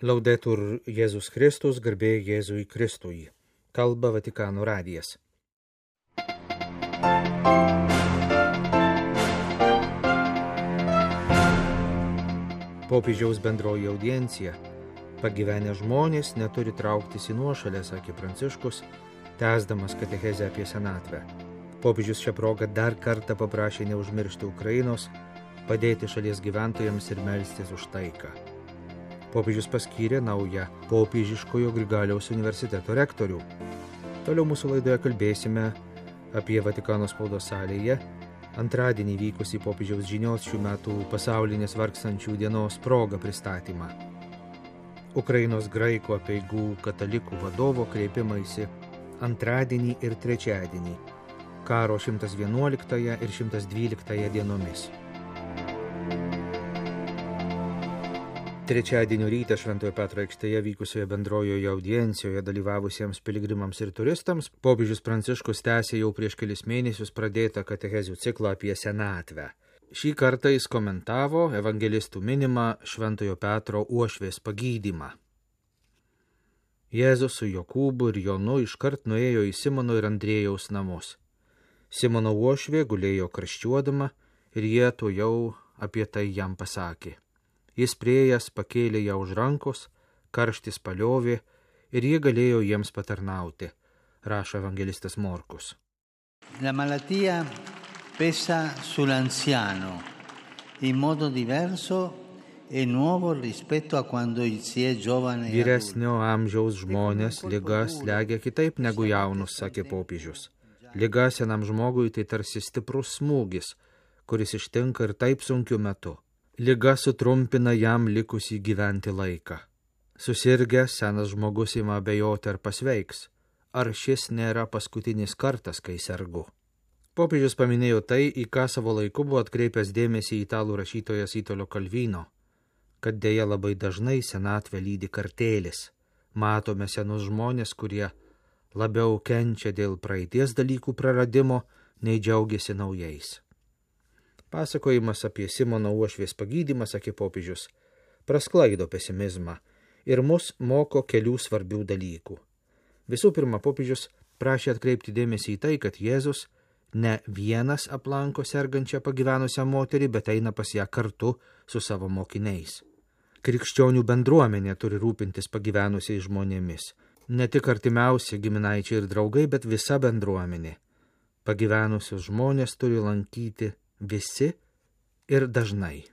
Laudetur Jėzus Kristus, garbė Jėzui Kristui. Kalba Vatikano radijas. Popiežiaus bendroji audiencija. Pagyvenę žmonės neturi trauktis į nuošalę, sakė Pranciškus, tęsdamas katechezę apie senatvę. Popiežius šią progą dar kartą paprašė neužmiršti Ukrainos, padėti šalies gyventojams ir melstis už taiką. Popiežius paskyrė naują popiežiškojo Grigaliaus universiteto rektorių. Toliau mūsų laidoje kalbėsime apie Vatikano spaudos salėje antradienį vykusį popiežiaus žinios šių metų pasaulinės vargstančių dienos proga pristatymą. Ukrainos graikų apeigų katalikų vadovo kreipimaisi antradienį ir trečiadienį, karo 111 ir 112 dienomis. Trečiadienio rytą Šventojo Petro aikštėje vykusioje bendrojoje audiencijoje dalyvavusiems piligrimams ir turistams popiežius Pranciškus tęsė jau prieš kelis mėnesius pradėtą katechezių ciklą apie senatvę. Šį kartą jis komentavo evangelistų minimą Šventojo Petro uošvės pagydymą. Jėzus su Jokūbu ir Jonu iškart nuėjo į Simono ir Andriejaus namus. Simono uošvė gulėjo karščiuodama ir jie tuojau apie tai jam pasakė. Jis priėjęs pakėlė ją už rankos, karštis paliovė ir jie galėjo jiems patarnauti, rašo evangelistas Morkus. La malattia pesa sull'anziano in modo diverso e nuovo rispetto a quando si è giovane. Vyresnio amžiaus žmonės liga slegia kitaip negu jaunus, sakė popiežius. Liga senam žmogui tai tarsi stiprus smūgis, kuris ištinka ir taip sunkiu metu. Liga sutrumpina jam likusį gyventi laiką. Susirgęs senas žmogus ima abejoti ar pasveiks, ar šis nėra paskutinis kartas, kai sergu. Popiežius paminėjo tai, į ką savo laiku buvo atkreipęs dėmesį italų rašytojas Italo Calvino, kad dėja labai dažnai senatvę lydi kartėlis. Matome senus žmonės, kurie labiau kenčia dėl praeities dalykų praradimo, nei džiaugiasi naujais. Pasakojimas apie Simono uošvės pagydymą, sakė popiežius, prasklaido pesimizmą ir mus moko kelių svarbių dalykų. Visų pirma, popiežius prašė atkreipti dėmesį į tai, kad Jėzus ne vienas aplanko sergančią pagyvenusią moterį, bet eina pas ją kartu su savo mokiniais. Krikščionių bendruomenė turi rūpintis pagyvenusiais žmonėmis. Ne tik artimiausi giminaičiai ir draugai, bet visa bendruomenė. Pagyvenusius žmonės turi lankyti visi ir dažnai.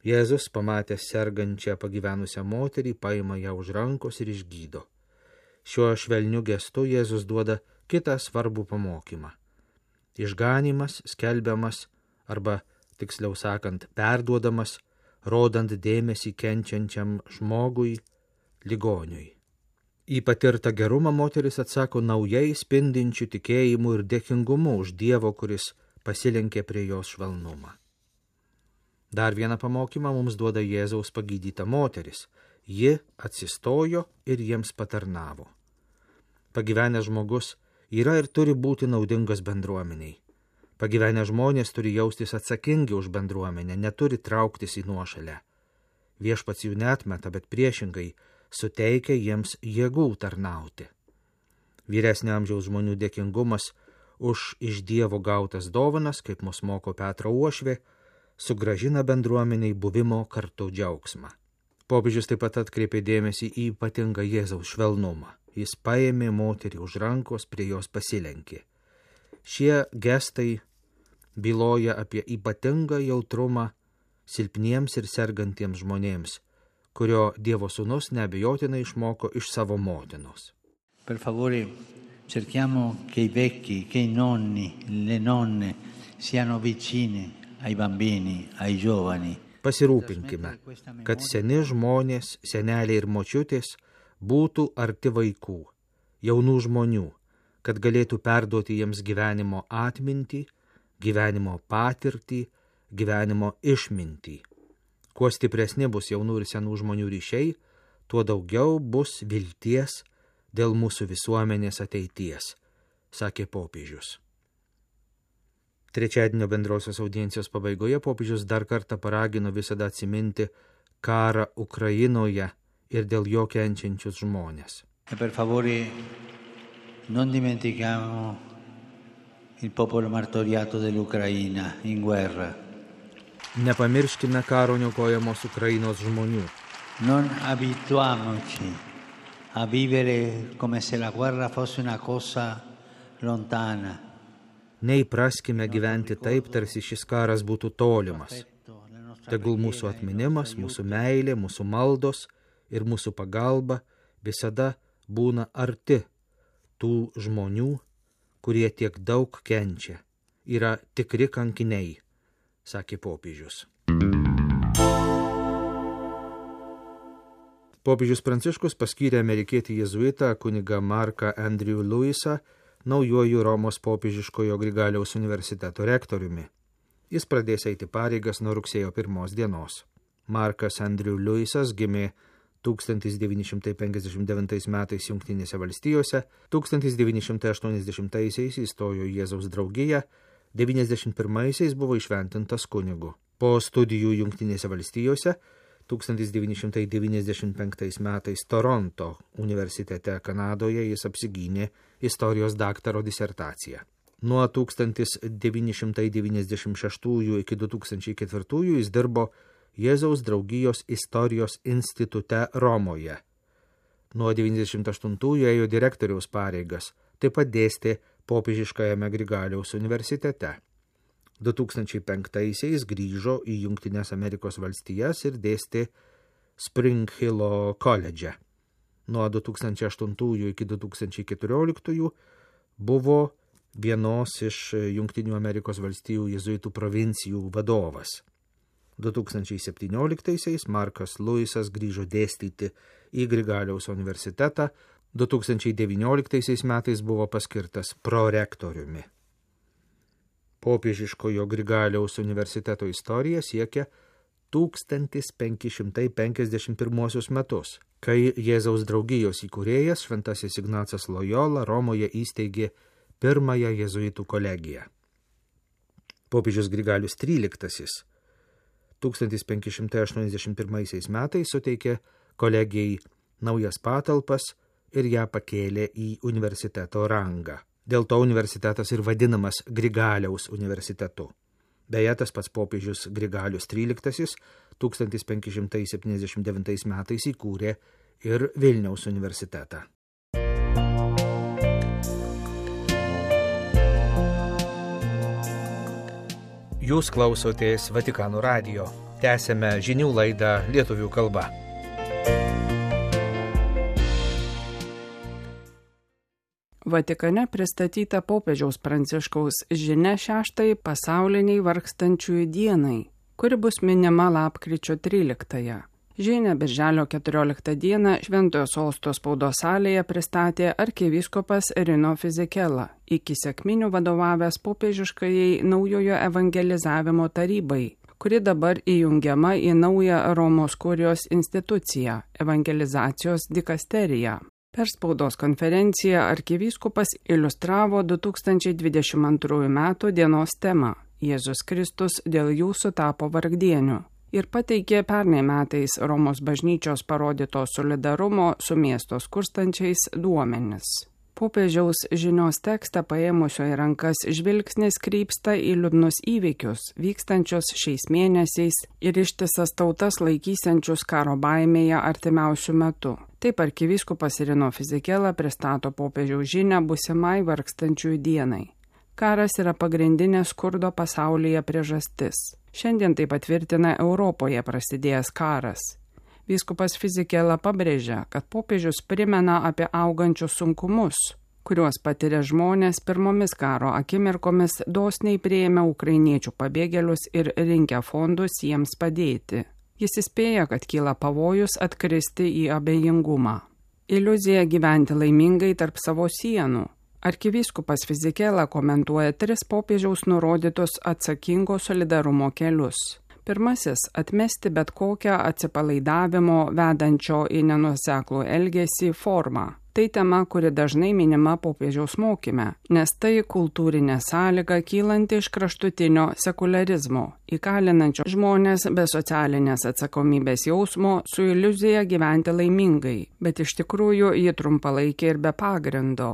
Jėzus, pamatęs sergančią pagyvenusią moterį, paima ją už rankos ir išgydo. Šiuo švelniu gestu Jėzus duoda kitą svarbų pamokymą. Išganymas skelbiamas, arba, tiksliau sakant, perduodamas, rodant dėmesį kenčiančiam žmogui, ligoniui. Į patirtą gerumą moteris atsako naujai spindinčiu tikėjimu ir dėkingumu už Dievo, kuris pasilenkė prie jos švelnumą. Dar vieną pamokymą mums duoda Jėzaus pagydyta moteris. Ji atsistojo ir jiems patarnavo. Pagyvenęs žmogus yra ir turi būti naudingas bendruomeniai. Pagyvenę žmonės turi jaustis atsakingi už bendruomenę, neturi trauktis į nuošalę. Viešpats jų neatmeta, bet priešingai suteikia jiems jėgų tarnauti. Vyresnio amžiaus žmonių dėkingumas už iš Dievo gautas dovanas, kaip mus moko Petro uošvė, sugrąžina bendruomeniai buvimo kartu džiaugsmą. Popiežius taip pat atkreipė dėmesį į ypatingą Jėzaus švelnumą. Jis paėmė moterį už rankos, prie jos pasilenkė. Šie gestai byloja apie ypatingą jautrumą silpniems ir sergantiems žmonėms, kurio Dievo sūnus neabejotinai išmoko iš savo motinos. Per favore, cerchiamo che i vecchi, che i nonni, le nonne siano vicini ai bambini, ai giovani. Pasirūpinkime, kad seni žmonės, seneliai ir močiutės būtų arti vaikų, jaunų žmonių, kad galėtų perduoti jiems gyvenimo atmintį, gyvenimo patirtį, gyvenimo išmintį. Kuo stipresni bus jaunų ir senų žmonių ryšiai, tuo daugiau bus vilties dėl mūsų visuomenės ateities, sakė popiežius. Trečiadienio bendrosios audiencijos pabaigoje popiežius dar kartą paragino visada atsiminti, karą Ukrainoje ir dėl jo kenčiančius žmonės. E per favore non dimentichiamo il popolo martoriato dell'Ucraina in guerra. Nepamirškime karo niokojamos Ukrainos žmonių. Non abituamoci a vivere come se la guerra fosse una cosa lontana. Neįpraskime gyventi taip, tarsi šis karas būtų tolimas. Tegul mūsų atminimas, mūsų meilė, mūsų maldos ir mūsų pagalba visada būna arti tų žmonių, kurie tiek daug kenčia, yra tikri kankiniai, sakė popiežius. Popiežius Pranciškus paskyrė amerikietį jėzuitą kunigą Marką Andrew Lewisą naujuoju Romos popiežiškojo Grigaliaus universiteto rektoriumi. Jis pradės eiti pareigas nuo rugsėjo 1 dienos. Markas Andrew Lewisas gimė 1959 metais Jungtinėse valstijose, 1980-aisiais įstojo į Jėzaus draugiją, 91-aisiais buvo įšventintas kunigu. Po studijų Jungtinėse valstijose 1995 metais Toronto universitete Kanadoje jis apsigynė istorijos daktaro disertaciją. Nuo 1996 iki 2004 jis dirbo Jėzaus draugijos istorijos institute Romoje. Nuo 1998 ėjo direktoriaus pareigas, taip pat dėstė popiežiškajame Grigaliaus universitete. 2005-aisiais grįžo į Jungtines Amerikos valstijas ir dėstė Spring Hillo koledže. Nuo 2008 iki 2014 buvo vienos iš Jungtinių Amerikos valstijų jėzuitų provincijų vadovas. 2017-aisiais Markas Lewisas grįžo dėstyti į Grigaliaus universitetą, 2019 metais buvo paskirtas prorektoriumi. Popiežiškojo Grigaliaus universiteto istorija siekia 1551 metus, kai Jėzaus draugijos įkūrėjas šventasis Ignacas Lojola Romoje įsteigė pirmąją jėzuitų kolegiją. Popiežius Grigalius XIII 1581 metais suteikė kolegijai naujas patalpas ir ją pakėlė į universiteto rangą. Dėl to universitetas ir vadinamas Grigaliaus universitetu. Beje, tas pats popiežius Grigalius XIII 1579 metais įkūrė ir Vilniaus universitetą. Jūs klausotės Vatikano radijo. Tęsėme žinių laidą lietuvių kalba. Vatikane pristatyta popiežiaus Pranciškaus žinia 6 pasauliniai vargstančiųjų dienai, kuri bus minima lapkričio 13. Žinią birželio 14 dieną Šventojo Sosto spaudos salėje pristatė arkivyskupas Rino Fisichella, iki sekminių vadovavęs popiežiškajai naujojo evangelizavimo tarybai, kuri dabar įjungiama į naują Romos kurijos instituciją – evangelizacijos dikasteriją. Per spaudos konferenciją arkivyskupas iliustravo 2022 metų dienos temą – Jėzus Kristus dėl jūsų tapo vargdieniu ir pateikė pernai metais Romos bažnyčios parodyto solidarumo su miesto skurstančiais duomenis. Popiežiaus žinios tekstą paėmusio į rankas žvilgsnis krypsta į liūdnus įvykius, vykstančius šiais mėnesiais ir ištisas tautas laikysiančius karo baimėje artimiausių metų. Taip arkivyskupas Rino Fisichella pristato popiežiaus žinią būsimai vargstančiųjų dienai. Karas yra pagrindinė skurdo pasaulyje priežastis. Šiandien tai patvirtina Europoje prasidėjęs karas. Vyskupas Fisichella pabrėžia, kad popiežius primena apie augančius sunkumus, kuriuos patiria žmonės pirmomis karo akimirkomis dosniai priėmę ukrainiečių pabėgėlius ir rinkę fondus jiems padėti. Jis įspėja, kad kyla pavojus atkristi į abejingumą. Iliuzija gyventi laimingai tarp savo sienų. Arkivyskupas Fisichella komentuoja 3 popiežiaus nurodytus atsakingo solidarumo kelius. Pirmasis – atmesti bet kokią atsipalaidavimo vedančio į nenuoseklų elgesį formą. Tai tema, kuri dažnai minima popiežiaus mokyme, nes tai kultūrinė sąlyga kylanti iš kraštutinio sekularizmo, įkalinančio žmonės be socialinės atsakomybės jausmo su iliuzija gyventi laimingai, bet iš tikrųjų ji trumpalaikė ir be pagrindo.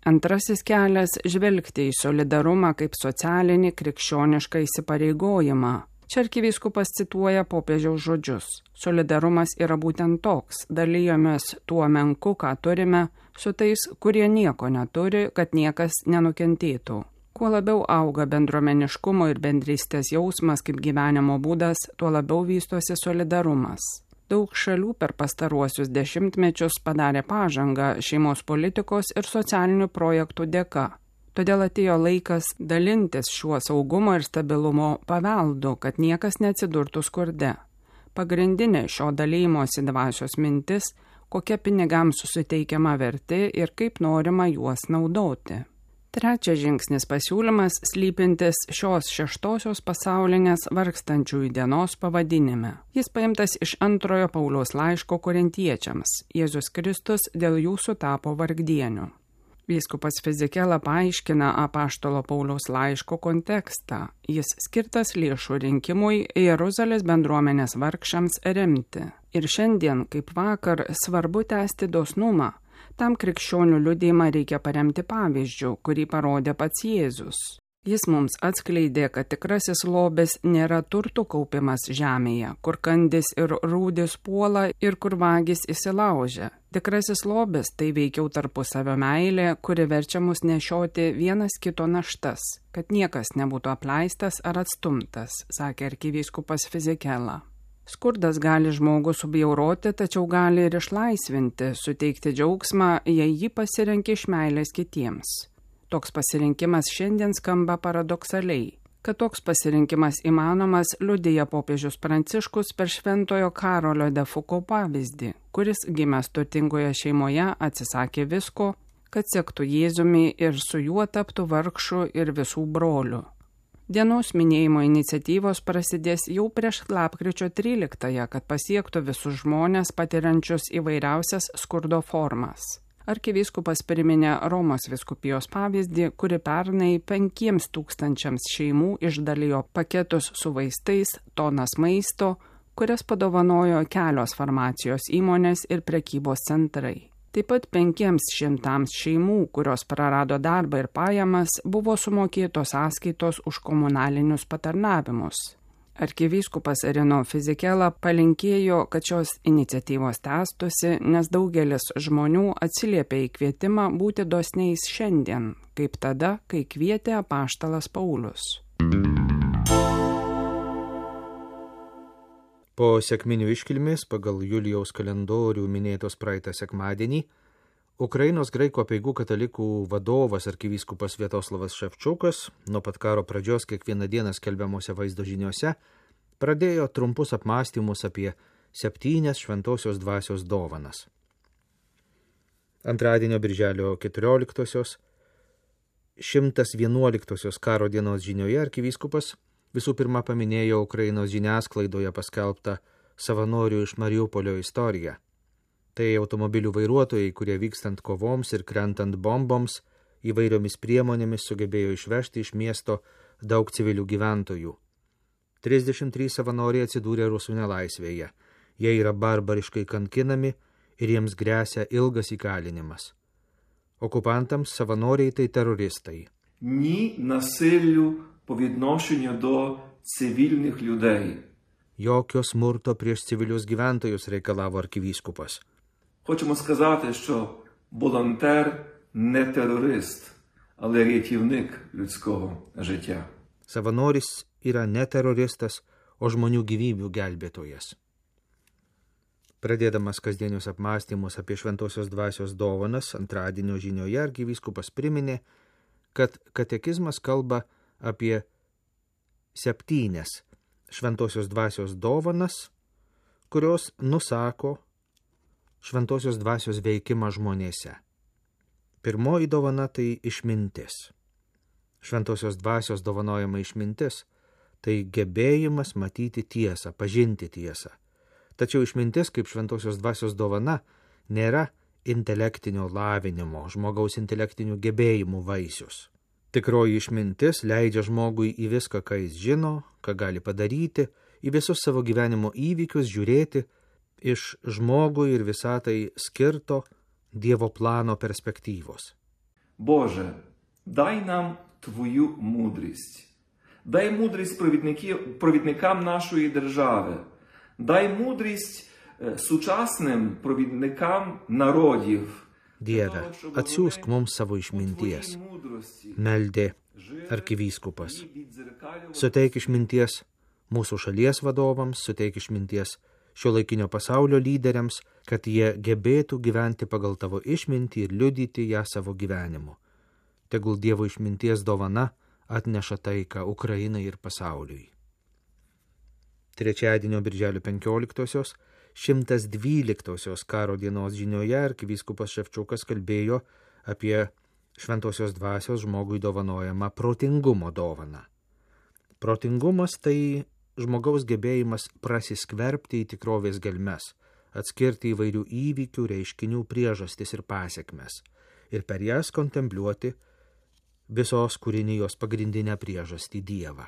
Antrasis kelias – žvelgti į solidarumą kaip socialinį krikščionišką įsipareigojimą. Čia arkivyskupas cituoja popiežiaus žodžius. Solidarumas yra būtent toks, dalijomės tuo menku, ką turime, su tais, kurie nieko neturi, kad niekas nenukentėtų. Kuo labiau auga bendruomeniškumo ir bendrystės jausmas kaip gyvenimo būdas, tuo labiau vystosi solidarumas. Daug šalių per pastaruosius dešimtmečius padarė pažangą šeimos politikos ir socialinių projektų dėka. Todėl atėjo laikas dalintis šiuo saugumo ir stabilumo paveldu, kad niekas neatsidurtų skurde. Pagrindinė šio dalymosi dvasios mintis, kokia pinigams suteikiama vertė ir kaip norima juos naudoti. Trečias žingsnis pasiūlymas slypintis šios 6-osios pasaulinės vargstančiųjų dienos pavadinime. Jis paimtas iš 2 Pauliaus laiško korintiečiams. Jėzus Kristus dėl jų sutapo vargdieniu. Vyskupas Fizikela paaiškina apaštalo Pauliaus laiško kontekstą. Jis skirtas lėšų rinkimui Jeruzalės bendruomenės vargšams remti. Ir šiandien, kaip vakar, svarbu tęsti dosnumą. Tam krikščionių liudijimą reikia paremti pavyzdžiu, kurį parodė pats Jėzus. Jis mums atskleidė, kad tikrasis lobis nėra turtų kaupimas žemėje, kur kandis ir rūdis puola ir kur vagis įsilaužia. Tikrasis lobis tai veikiau tarpusavio meilė, kuri verčia mus nešioti vienas kito naštas, kad niekas nebūtų apleistas ar atstumtas, sakė arkivyskupas Fizikela. Skurdas gali žmogų subjauroti, tačiau gali ir išlaisvinti, suteikti džiaugsmą, jei jį pasirenki iš meilės kitiems. Toks pasirinkimas šiandien skamba paradoksaliai. Kad toks pasirinkimas įmanomas, liudija popiežius Pranciškus per šventojo Karolio de Foucault pavyzdį, kuris gimęs turtingoje šeimoje atsisakė visko, kad sektų Jėzumi ir su juo taptų vargšų ir visų brolių. Dienos minėjimo iniciatyvos prasidės jau prieš lapkričio 13-ąją, kad pasiektų visus žmonės patiriančius įvairiausias skurdo formas. Arkivyskupas priminė Romos vyskupijos pavyzdį, kuri pernai 5000 šeimų išdalijo paketus su vaistais, tonas maisto, kurias padovanojo kelios farmacijos įmonės ir prekybos centrai. Taip pat 500 šeimų, kurios prarado darbą ir pajamas, buvo sumokėtos sąskaitos už komunalinius patarnavimus. Arkivyskupas Rino Fizikela palinkėjo, kad šios iniciatyvos tęstųsi, nes daugelis žmonių atsiliepė į kvietimą būti dosniais šiandien, kaip tada, kai kvietė apaštalas Paulius. Po sekminių iškilmės pagal Julijaus kalendorių minėtos praeitą sekmadienį, Ukrainos graikų apeigų katalikų vadovas arkivyskupas Sviatoslavas Ševčukas nuo pat karo pradžios kiekvieną dieną skelbiamuose vaizdo žiniuose pradėjo trumpus apmąstymus apie 7 šventosios dvasios dovanas. Antradienio birželio 14-osios, 111-osios karo dienos žinioje arkivyskupas visų pirma paminėjo Ukrainos žiniasklaidoje paskelbtą savanorių iš Mariupolio istoriją. Tai automobilių vairuotojai, kurie vykstant kovoms ir krentant bomboms, įvairiomis priemonėmis sugebėjo išvežti iš miesto daug civilių gyventojų. 33 savanoriai atsidūrė rusų nelaisvėje. Jie yra barbariškai kankinami ir jiems gresia ilgas įkalinimas. Okupantams savanoriai tai teroristai. Ні насиллю по відношенню до цивільних людей. Jokio smurto prieš civilius gyventojus reikalavo arkivyskupas. Хочемо сказати, що волонтер не терорист, але рятівник людського життя. Savanoris yra ne teroristas, o žmonių gyvybių gelbėtojas. Pradėdamas kasdienius apmąstymus apie šventosios dvasios dovanas, antradienio žinioje arkivyskupas priminė, kad katekizmas kalba apie 7 šventosios dvasios dovanas, kurios nusako šventosios dvasios veikimą žmonėse. Pirmoji dovana tai išmintis. Šventosios dvasios dovanojama išmintis tai gebėjimas matyti tiesą, pažinti tiesą. Tačiau išmintis kaip šventosios dvasios dovana nėra intelektinio lavinimo, žmogaus intelektinių gebėjimų vaisius. Tikroji išmintis leidžia žmogui į viską, ką jis žino, ką gali padaryti, į visus savo gyvenimo įvykius žiūrėti iš žmogui ir visatai skirto Dievo plano перспективos. Боже, дай нам Твою мудрість. Дай мудрість провідникам нашої держави. Дай мудрість сучасним провідникам народів. Dieve, atsiųsk mums savo išminties, meldė arkivyskupas. Suteik išminties mūsų šalies vadovams, suteik išminties šiuolaikinio pasaulio lyderiams, kad jie gebėtų gyventi pagal tavo išmintį ir liudyti ją savo gyvenimu. Tegul Dievo išminties dovana atneša taiką Ukrainai ir pasauliui. Trečiadienio birželio 15-osios 112-osios karo dienos žinioje arkivyskupas Ševčiukas kalbėjo apie šventosios dvasios žmogui dovanojamą protingumo dovaną. Protingumas tai žmogaus gebėjimas prasiskverbti į tikrovės gelmes, atskirti įvairių įvykių, reiškinių priežastis ir pasiekmes ir per jas kontempliuoti visos kūrinijos pagrindinę priežastį Dievą.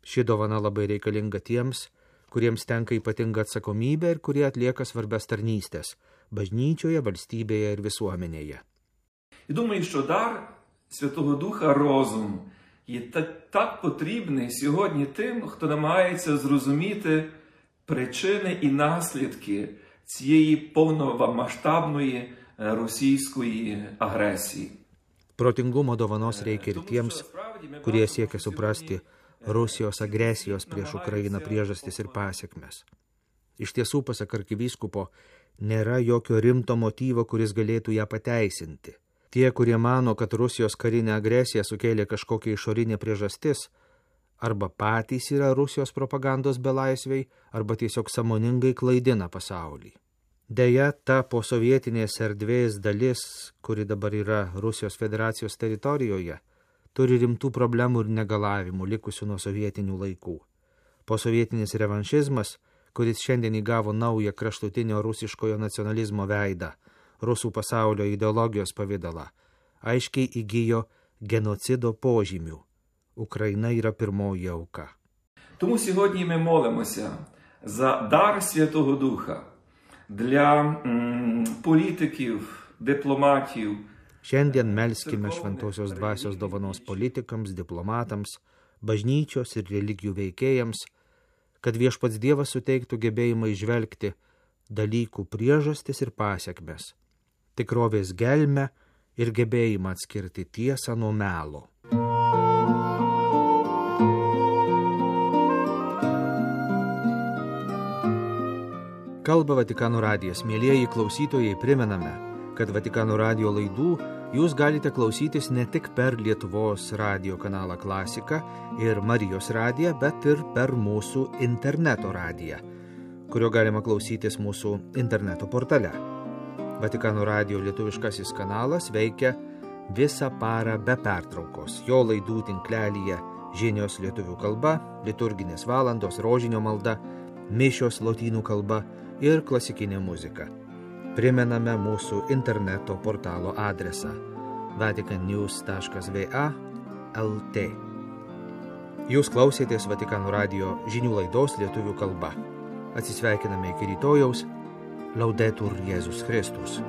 Ši dovana labai reikalinga tiems, kuriems tenka ypatinga atsakomybė ir kurie atlieka svarbias tarnystės bažnyčioje, valstybėje ir visuomenėje. І думаю, що дар Святого Духа розум є так потрібний сьогодні тим, хто намагається зрозуміти причини і наслідки цієї повномасштабної російської агресії. Protingumo dovanos reikia ir tiems, kurie siekia suprasti Rusijos agresijos prieš Ukrainą priežastis ir pasiekmes. Iš tiesų, pasak arkivyskupo, nėra jokio rimto motyvo, kuris galėtų ją pateisinti. Tie, kurie mano, kad Rusijos karinė agresija sukėlė kažkokią išorinę priežastis, arba patys yra Rusijos propagandos belaisviai, arba tiesiog sąmoningai klaidina pasaulį. Deja, ta posovietinės erdvės dalis, kuri dabar yra Rusijos federacijos teritorijoje, turi rimtų problemų ir negalavimų likusių nuo sovietinių laikų. Posovietinis revanšizmas, kuris šiandien įgavo naują kraštutinio rusiškojo nacionalizmo veidą, rusų pasaulio ideologijos pavidalą, aiškiai įgijo genocido požymių. Ukraina yra pirmoji auka. Тому сьогодні ми молимося за дар Святого Духа для політиків, дипломатів. Šiandien melskime šventosios dvasios dovanos politikams, diplomatams, bažnyčios ir religijų veikėjams, kad viešpats Dievas suteiktų gebėjimą įžvelgti dalykų priežastis ir pasiekmes, tikrovės gelmę ir gebėjimą atskirti tiesą nuo melo. Kalba Vatikano radijas. Mielieji klausytojai, primename, kad Vatikano radijo laidų jūs galite klausytis ne tik per Lietuvos radijo kanalą Klasika ir Marijos radiją, bet ir per mūsų interneto radiją, kurio galima klausytis mūsų interneto portale. Vatikano radijo lietuviškasis kanalas veikia visą parą be pertraukos. Jo laidų tinklelyje žinios lietuvių kalba, liturginės valandos, rožinio malda, mišios lotynų kalba ir klasikinė muzika. Primename mūsų interneto portalo adresą vaticannews.va/lt. Jūs klausėtės Vatikano radijo žinių laidos lietuvių kalba. Atsisveikiname iki rytojaus. Laudetur Jėzus Kristus.